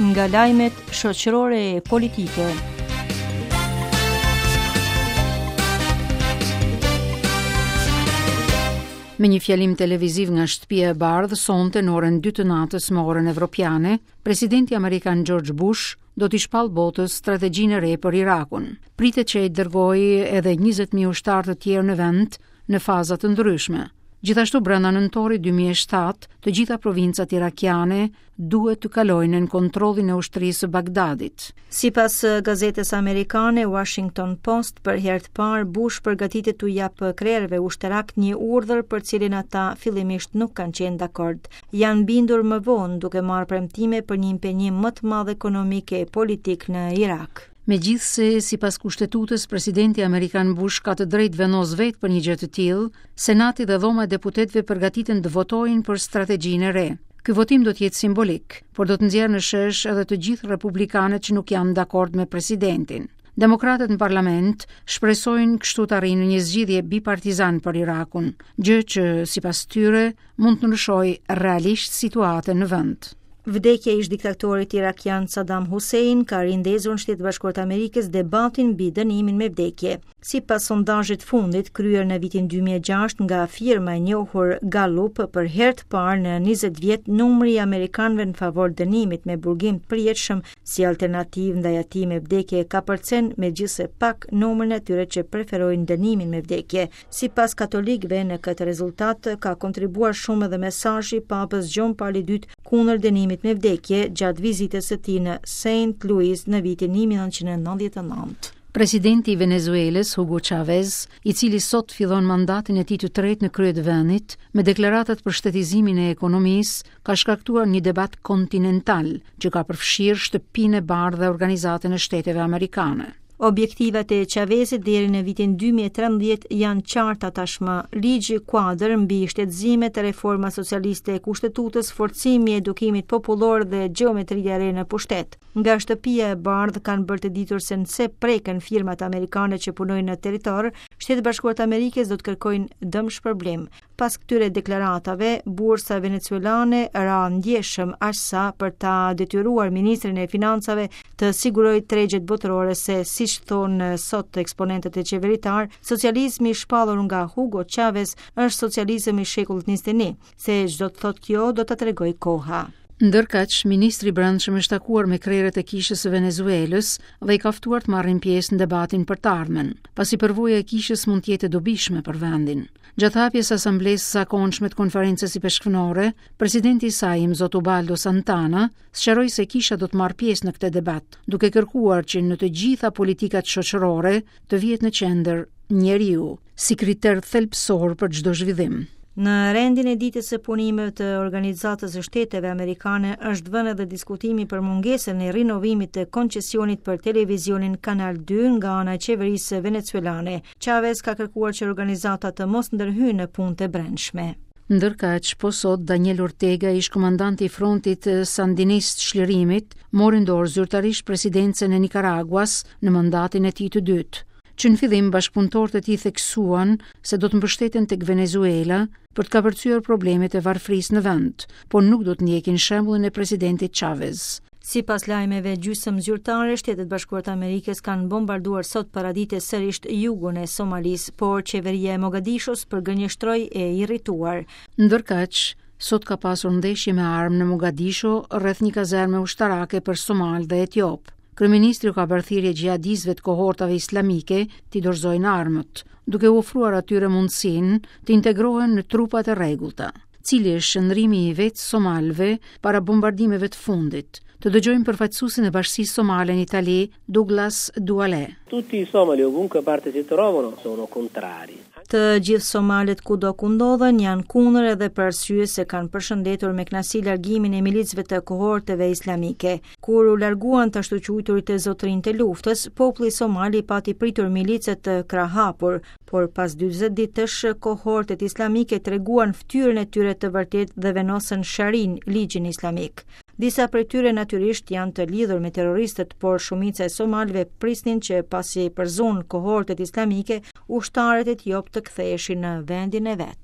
Nga lajmet shoqërore e politike. Me një fjalim televiziv nga Shtëpia e Bardhë sonte në orën 2 të natës me orën evropiane, presidenti amerikan George Bush do t'i shpallë botës strategjinë e re për Irakun. Pritet që ai të dërgojë edhe 20.000 ushtarë të tjerë në vend në faza të ndryshme. Gjithashtu brenda nëntorit 2007, të gjitha provincat irakiane duhet të kalojnë nën kontrollin e ushtrisë së Bagdadit. Sipas gazetës amerikane Washington Post, për herë të parë Bush përgatitet t'u japë krerëve ushtarakë një urdhër për cilin ata fillimisht nuk kanë qenë dakord. Janë bindur më vonë duke marrë premtime për një impenjim më të madh ekonomik e politik në Irak. Megjithëse, sipas Kushtetutës, presidenti amerikan Bush ka të drejtë të vendosë vetë për një gjë të tillë, Senati dhe Dhoma e Deputetëve përgatiten të votojnë për strategjinë e re. Ky votim do të jetë simbolik, por do të nxjerrë në shesh edhe të gjithë republikanët që nuk janë dakord me presidentin. Demokratët në parlament shpresojnë kështu të arrijnë një zgjidhje bipartizan për Irakun, gjë që sipas tyre mund të ndryshojë realisht situatën në vend. Vdekja e ish-diktatorit irakian Saddam Hussein ka rindezur në Shtetet e Bashkuara të Amerikës debatin mbi dënimin me vdekje. Sipas sondazhit të fundit, kryer në vitin 2006 nga firma e njohur Gallup, për herë të parë në 20 vjet numri i amerikanëve në favor dënimit me burgim të përjetshëm si alternativë ndaj atij me vdekje kapërcen megjithëse pak numrin e atyre që preferojnë dënimin me vdekje. Sipas katolikëve, në këtë rezultat ka kontribuar shumë edhe mesazhi i Papës Gjon Pali II kundër dënimit me vdekje gjatë vizitës së tij në Saint Louis në vitin 1999. Presidenti i Venezuelës, Hugo Chavez, i cili sot fillon mandatin e tij të tretë në krye të vendit, me deklaratat për shtetizimin e ekonomisë, ka shkaktuar një debat kontinental që ka përfshirë Shtëpinë e Bardhë dhe Organizatën e Shteteve Amerikane. Objektivat e Chavezit deri në vitin 2013 janë qarta tashmë. Ligji kuadër mbi shtetëzimet, reforma socialiste e kushtetutës, forcimi i edukimit popullor dhe gjeometria e re në pushtet. Nga Shtëpia e Bardhë kanë bërë të ditur se nëse preken firmat amerikane që punojnë në territor, Shtetet e Bashkuara të Amerikës do të kërkojnë dëmshpërblim. Pas këtyre deklaratave, bursa venezuelane ra ndjeshëm aq sa për ta detyruar ministrin e financave të sigurojë tregjet botërore se, siç thonë sot eksponentët e qeveritarë, socializmi i shpallur nga Hugo Chavez është socializëm i shekullit 21. Se ç'do të thotë kjo, do ta tregojë koha. Ndërkaq, ministri i Brendshëm është takuar me krerët e Kishës së Venezuelës dhe i ka ftuar të marrin pjesë në debatin për të ardhmen, pasi përvoja e kishës mund të jetë e dobishme për vendin. Gjatë hapjes së Asamblesë së zakonshme të Konferencës Ipeshkvnore, presidenti i saj, Imzot Ubaldo Santana, sqaroi se kisha do të marrë pjesë në këtë debat, duke kërkuar që në të gjitha politikat shoqërore të vihet në qendër njeriu, si kriter thelbësor për çdo zhvillim. Në rendin e ditës së punimeve të Organizatës së Shteteve Amerikane është vënë edhe diskutimi për mungesën e rinovimit të koncesionit për televizionin Kanal 2 nga ana e qeverisë venezuelane. Chavez ka kërkuar që organizata të mos ndërhyjë në punët e brendshme. Ndërkaq, po sot Daniel Ortega, ish-komandanti i Frontit Sandinist të Çlirimit, mori në dorë zyrtarisht presidencën e Nikaraguas në mandatin e tij të dytë. Që në fillim, bashkëpunëtorët e tij theksuan se do të mbështeten tek Venezuela për të kapërcyer problemet e varfërisë në vend, por nuk do të ndjekin shembullin e presidentit Chavez. Sipas lajmeve gjysmë zyrtare, Shtetet e Bashkuara të Amerikës kanë bombarduar sot paradite sërish jugun e Somalisë, por qeveria e Mogadishos përgënjeshtroi e irrituar. Ndërkaq, sot ka pasur ndeshje me armë në Mogadisho rreth një kazerme ushtarake për somalë dhe etiopë. Kryeministri u ka bërë thirrje xhihadistëve të kohortave islamike t'i dorëzojnë armët, duke u ofruar atyre mundësinë të integrohen në trupat e rregullta. Cili është qëndrimi i vetë somalëve para bombardimeve të fundit? Të dëgjojmë përfaqësuesin e bashkësisë somale në Itali, Douglas Duale. Tutti i somali ovunque parte si trovano sono contrari. Të gjithë somalët kudo ku ndodhen janë kundër edhe për arsye se kanë përshëndetur me kënaqësi largimin e milicëve të kohorteve islamike. Kur u larguan të ashtuquajturit zotërinjtë e luftës, populli somal i pati pritur milicët krahëhapur, Por pas 40 ditësh, kohortet islamike treguan fytyrën e tyre të vërtetë dhe vendosën sharinë, ligjin islamik. Disa prej tyre natyrisht janë të lidhur me terroristët, por shumica e somalëve prisnin që pasi përzunë kohortet islamike, ushtarët etiopë të ktheheshin në vendin e vet.